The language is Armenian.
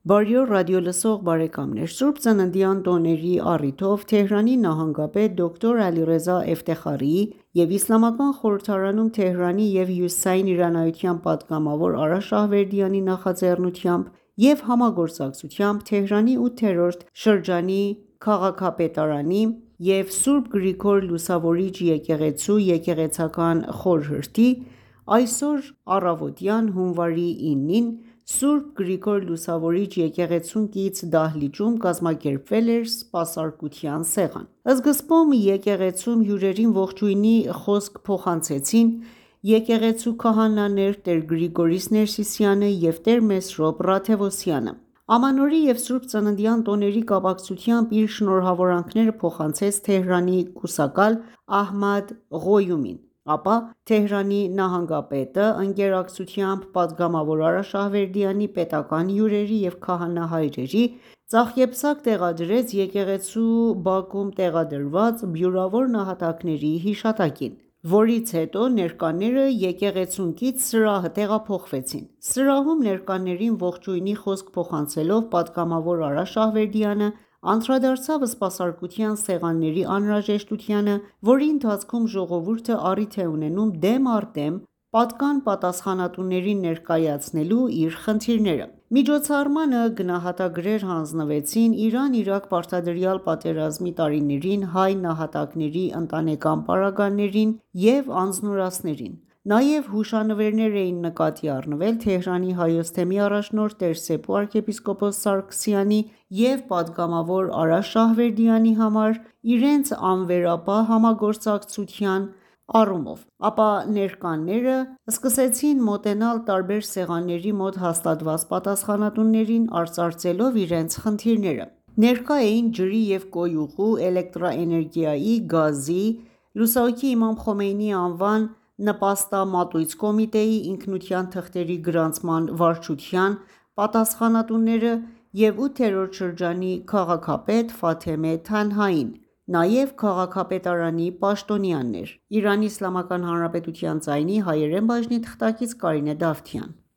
Բարի օր ռադիոլսող բարեկամներ: Սուրբ ծննդյան տոների առիթով Թեհրանի նահանգապետ դոկտոր Ալիռեզա Էֆտեխարիի և Իսլամական խորհրդարանում Թեհրանի և հյուսիսային իրանայության պատգամավոր Արա Շահվերդյանի նախաձեռնությամբ և համագործակցությամբ Թեհրանի 8-րդ շրջանի քաղաքապետարանի և Սուրբ Գրիգոր Լուսավորիչ եկեղեցու եկեղեցական խորհրդի այսօր առավոտյան հունվարի 9-ին Սուրբ Գրիգոր Լուսավորիչ եկեղեցուն կից դահլիճում կազմակերպվել էր սպասարկության սեղան: Սկզբում եկեղեցում հյուրերին ողջույնի խոսք փոխանցեցին եկեղեցու քահանաներ տեր Գրիգորիս Ներսիսյանը և տեր Մեսրոպ Ռաթևոսյանը: Ամանորի և Սուրբ ծննդյան տոների կապակցությամբ իր շնորհավորանքները փոխանցեց Թեհրանի կուսակալ Ահմադ Ղոյումին: Ապա Թեհրանի նահանգապետը ընկերակցությամբ պատգամավոր Արա Շահվերդյանի պետական հյուրերի և քահանա հայրերի ձախեպսակ տեղադրեց եկեղեցու բակում տեղադրված բյուրավոր նահատակների հիշատակին, որից հետո ներկաները եկեղեցուն կից սրահը տեղափոխվեցին: Սրահում ներկաներին ողջույնի խոսք փոխանցելով պատգամավոր Արա Շահվերդյանը անդրադարձավ սպասարկության սեղանների անհրաժեշտությանը, որի ընթացքում ժողովուրդը առիթ է ունենում դեմ առ դեմ պատկան պատասխանատուներին ներկայացնելու իր խնդիրները: Միջոցառմանը գնահատագրեր հանձնվեցին Իրան-Իրաք պարտադրյալ պատերազմի տարիներին հայ նահատակների ընտանեկան պարագաներին և անձնուրացներին: Նաև հուշանվերներ էին նկատի առնվել Թեհրանի Հայոց թեմի առաջնորդ տեր Սեփու arczepiskopos Սարգսյանի և պատգամավոր Արա Շահվերդյանի համար իրենց անվերապահ համագործակցության առումով: Ապա ներկաները սկսեցին մոտենալ տարբեր սեղանների մոտ հաստատված պատասխանատուներին արծարծելով իրենց խնդիրները: Ներկա էին ջրի և կոյուղու, էլեկտրաէներգիայի, գազի, լուսահոգի Իմամ Խոմեյնիի անվան նպաստամատույց կոմիտեի, ինքնության թղթերի գրանցման վարչության պատասխանատուները և 8-րդ շրջանի քաղաքապետ Ֆաթեմե Թանհային, նաև քաղաքապետարանի պաշտոնյաներ: ԻԻՀ ձայնի հայերեն բաժնի թղթակից Կարինե Դավթյան: